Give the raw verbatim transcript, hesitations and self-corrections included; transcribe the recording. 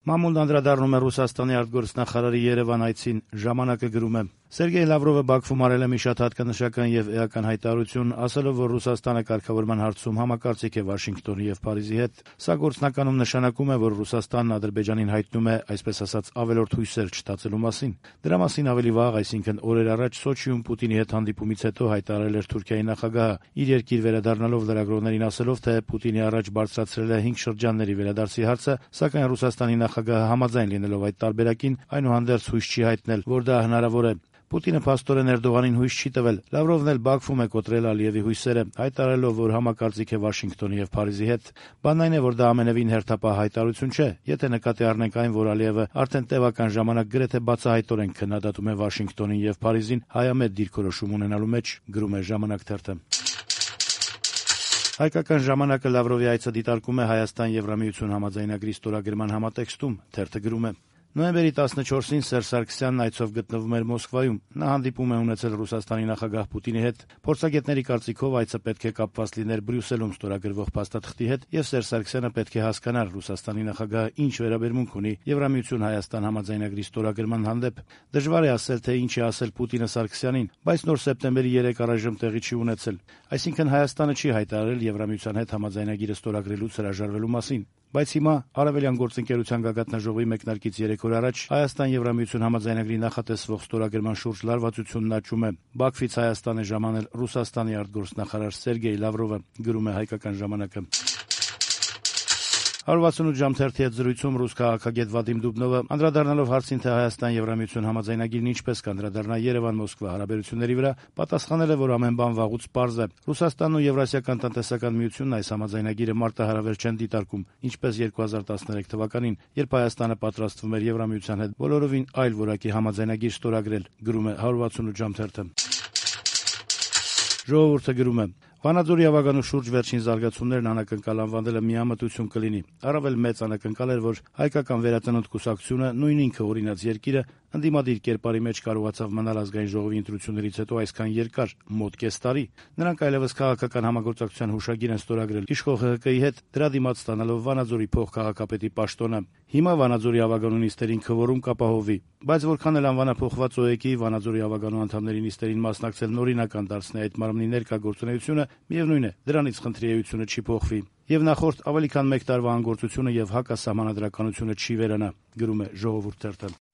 Մամուլն անդրադառնում է Ռուսաստանի արտգործնախարարի Երևան այցին, ժամանակը գրում է. Սերգեյ Լավրովը Բաքվում արել է մի շատ հատկանշական եւ էական հայտարարություն, ասելով, որ Ռուսաստանը կարգավորման հարցում համակարծիք է Վաշինգտոնի եւ Փարիզի հետ։ Սա գործնականում նշանակում է, որ Ռուսաստանն Ադրբեջանին հայտնում է, այսպես ասած, ավելորդ հույսեր չտածելու մասին։ Դրա մասին ավելի վաղ, այսինքն օրեր առաջ Սոչիում Պուտինի հետ հանդիպումից հետո հայտարարել էր Թուրքիայի նախագահը, իր երկիր վերադառնալով լրագրողներին ասելով, թե Պուտինի առաջ բարձրացրել է հինգ շրջանների վերադարձի հարցը, սակայն Ռուսաստանի նախագահը համաձայն լինելով այդ տարբերակին, այնուհանդերձ հույս չի հայտնել, որ դա հնարավոր է։ Պուտինը փաստորեն Էրդողանին հույս չի տվել։ Լավրովն էլ Բաքվում է կոտրել Ալիևի հույսերը, հայտարարելով, որ համակարծիք է Վաշինգտոնի եւ Փարիզի հետ։ Բանն այն է, որ դա ամենևին հերթապահ հայտարարություն չէ, եթե նկատի առնենք այն, որ Ալիևը արդեն տևական ժամանակ գրեթե բացահայտորեն քննադատում է Վաշինգտոնին եւ Փարիզին հայամետ դիրքորոշում ունենալու մեջ, գրում է «Ժամանակ» թերթը։ Հայկական ժամանակը Լավրովի այցը դիտարկում է Հայաստան-Եվրամիություն համաձայնագրի ստորագրման համատեքստում, թերթը գրում է. Նոյեմբերի տասնչորսին Սերժ Սարգսյանն այցով գտնվում էր Մոսկվայում։ Նա հանդիպում է ունեցել Ռուսաստանի նախագահ Պուտինի հետ։ Փորձագետների կարծիքով այցը պետք է կապված լիներ Բրյուսելում ստորագրվող փաստաթղթի հետ, եւ Սերժ Սարգսյանը պետք է հասկանար Ռուսաստանի նախագահը ինչ վերաբերմունք ունի Եվրամիություն-Հայաստան համաձայնագրի ստորագրման հանդեպ։ Դժվար է ասել, թե ինչ է ասել Պուտինը Սարգսյանին, բայց նոր սեպտեմբերի երեք առայժմ տեղի չի ունեցել։ Այսինքն Հայաստանը չի հայտարարել Եվրամիության հետ համաձայնագիրը ստորագրելուց հրաժարվելու մասին։ Բայց հիմա Արևելյան գործընկերության գագաթնաժողովի մեկնարկից երեք օր առաջ Հայաստան-Եվրամիություն համաձայնագրի նախատեսվող ստորագրման շուրջ լարվածությունն աճում է։ Բաքվից Հայաստան է ժամանել Ռուսաստանի արտգործնախարար Սերգեյ Լավրովը, գրում է «Հայկական ժամանակը»։ հարյուր վաթսունութ ժամ թերթի հետ զրույցում ռուս քաղաքագետ Վադիմ Դուբնովը, անդրադառնալով հարցին, թե Հայաստան-Եվրամիություն համաձայնագիրն ինչպես կանդրադառնա Երևան-Մոսկվա հարաբերությունների վրա, պատասխանել է, որ ամեն բան վաղուց պարզ է։ Ռուսաստանն ու Եվրասիական տնտեսական միությունն այս համաձայնագիրը մարտահրավեր չեն դիտարկում, ինչպես երկու հազար տասներեք թվականին, երբ Հայաստանը պատրաստվում էր Եվրամիության հետ բոլորովին այլ որակի համաձայնագիր ստորագրել, գրում է հարյուր վաթսունութ ժամ թերթը։ Ժողովուրդը գրում է. Վանաձորի ավագանու շուրջ վերջին զարգացումներն անակնկալ անվանելը միամտություն կլինի։ Առավել մեծ անակնկալ էր, որ հայկական վերածնունդ կուսակցությունը, նույն ինքը օրինաց երկիրը, ընդդիմադիր կերպարի մեջ կարողացավ մնալ ազգային ժողովի ընտրություններից հետո այսքան երկար, մոտ կես տարի։ Նրանք այլևս քաղաքական համագործակցության հուշագիր են ստորագրել իշխող ՀՀԿ-ի հետ, դրա դիմաց ստանալով Վանաձորի փոխքաղաքապետի պաշտոնը։ Հիմա Վանաձորի ավագանու նիստերին քվորում կապահովվի, բայց որքան էլ անվանափոխված ՕԵԿ-ի Վանաձորի ավագանու անդամների նիստերին մասնակցելն օրինական դարձնի այդ մարմնի ներկա գործունեությունը, միևնույն է, դրանից խնդրի էությունը չի փոխվի։ Եվ նախորդ ավելի քան մեկ տարվա անգործությունը եւ հակասահմանադրականությունը չի վերանա, գրում է «Ժողովուրդ» թերթը։